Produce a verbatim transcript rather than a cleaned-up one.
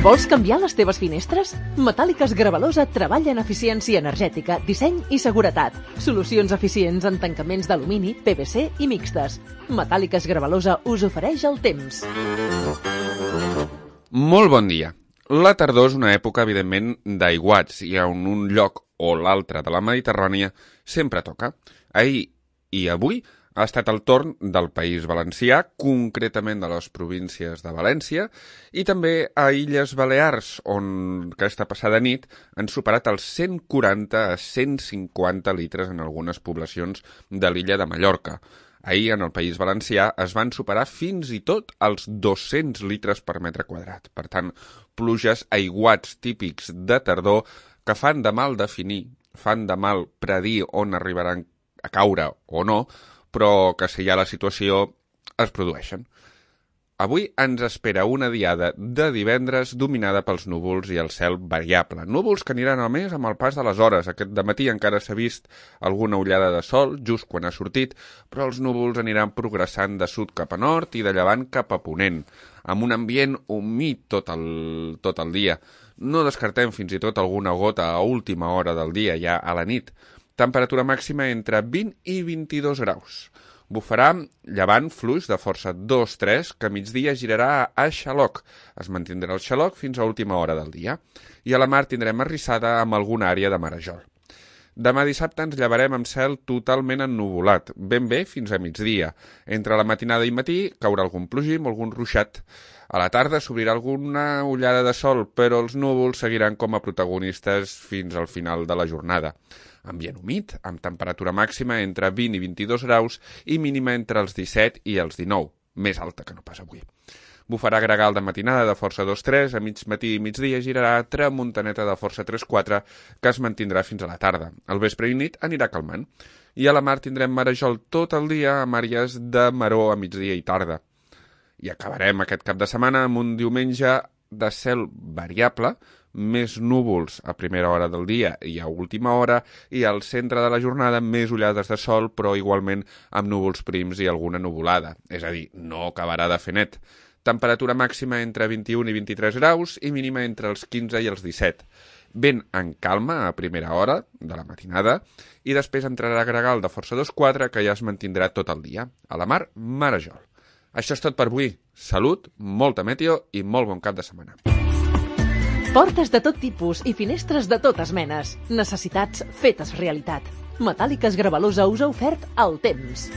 Vols canviar les teves finestres? Metàl·liques Gravalosa treballa en eficiència energètica, disseny i seguretat. Solucions eficients en tancaments d'alumini, P V C i mixtes. Metàl·liques Gravalosa us ofereix el temps. Molt bon dia. La tardor és una època, evidentment, d'aiguats i en un lloc o l'altre de la Mediterrània sempre toca. Ahir i avui ha estat el torn del País Valencià, concretament de les províncies de València, i també a Illes Balears, on aquesta passada nit han superat els cent quaranta a cent cinquanta litres en algunes poblacions de l'illa de Mallorca. Ahir, en el País Valencià, es van superar fins i tot els dos-cents litres per metre quadrat. Per tant, pluges, aiguats típics de tardor que fan de mal definir, fan de mal predir on arribaran a caure o no, però que si hi ha la situació es produeixen. Avui ens espera una diada de divendres dominada pels núvols i el cel variable. Núvols que aniran a més amb el pas de les hores. Aquest dematí encara s'ha vist alguna ullada de sol, just quan ha sortit, però els núvols aniran progressant de sud cap a nord i de llevant cap a ponent, amb un ambient humit tot el, tot el dia. No descartem fins i tot alguna gota a última hora del dia, ja a la nit. Temperatura màxima entre vint i vint-i-dos graus. Bufarà llevant fluix de força dos tres, que a migdia girarà a xaloc. Es mantindrà el xaloc fins a última hora del dia. I a la mar tindrem arrissada amb alguna àrea de marejol. Demà dissabte ens llevarem amb cel totalment ennuvolat, ben bé fins a migdia. Entre la matinada i matí caurà algun plogim o algun ruixat. A la tarda s'obrirà alguna ullada de sol, però els núvols seguiran com a protagonistes fins al final de la jornada. Ambient humit, amb temperatura màxima entre vint i vint-i-dos graus i mínima entre els disset i els dinou, més alta que no pas avui. Bufarà gregal de matinada de força dos tres, a mig matí i migdia girarà tramuntaneta de força tres quatre, que es mantindrà fins a la tarda. Al vespre i nit anirà calmant. I a la mar tindrem marejol tot el dia amb àrees de maror a migdia i tarda. I acabarem aquest cap de setmana amb un diumenge de cel variable, més núvols a primera hora del dia i a última hora, i al centre de la jornada més ullades de sol, però igualment amb núvols prims i alguna nuvolada. És a dir, no acabarà de fer net. Temperatura màxima entre vint-i-un i vint-i-tres graus i mínima entre els quinze i els disset. Vent en calma a primera hora de la matinada i després entrarà gregal de força dos quatre, que ja es mantindrà tot el dia. A la mar, marejol. Això és tot per avui. Salut, molta meteo i molt bon cap de setmana. Portes de tot tipus i finestres de totes menes. Necessitats fetes realitat. Metàl·liques Gravalosa us ha ofert el temps.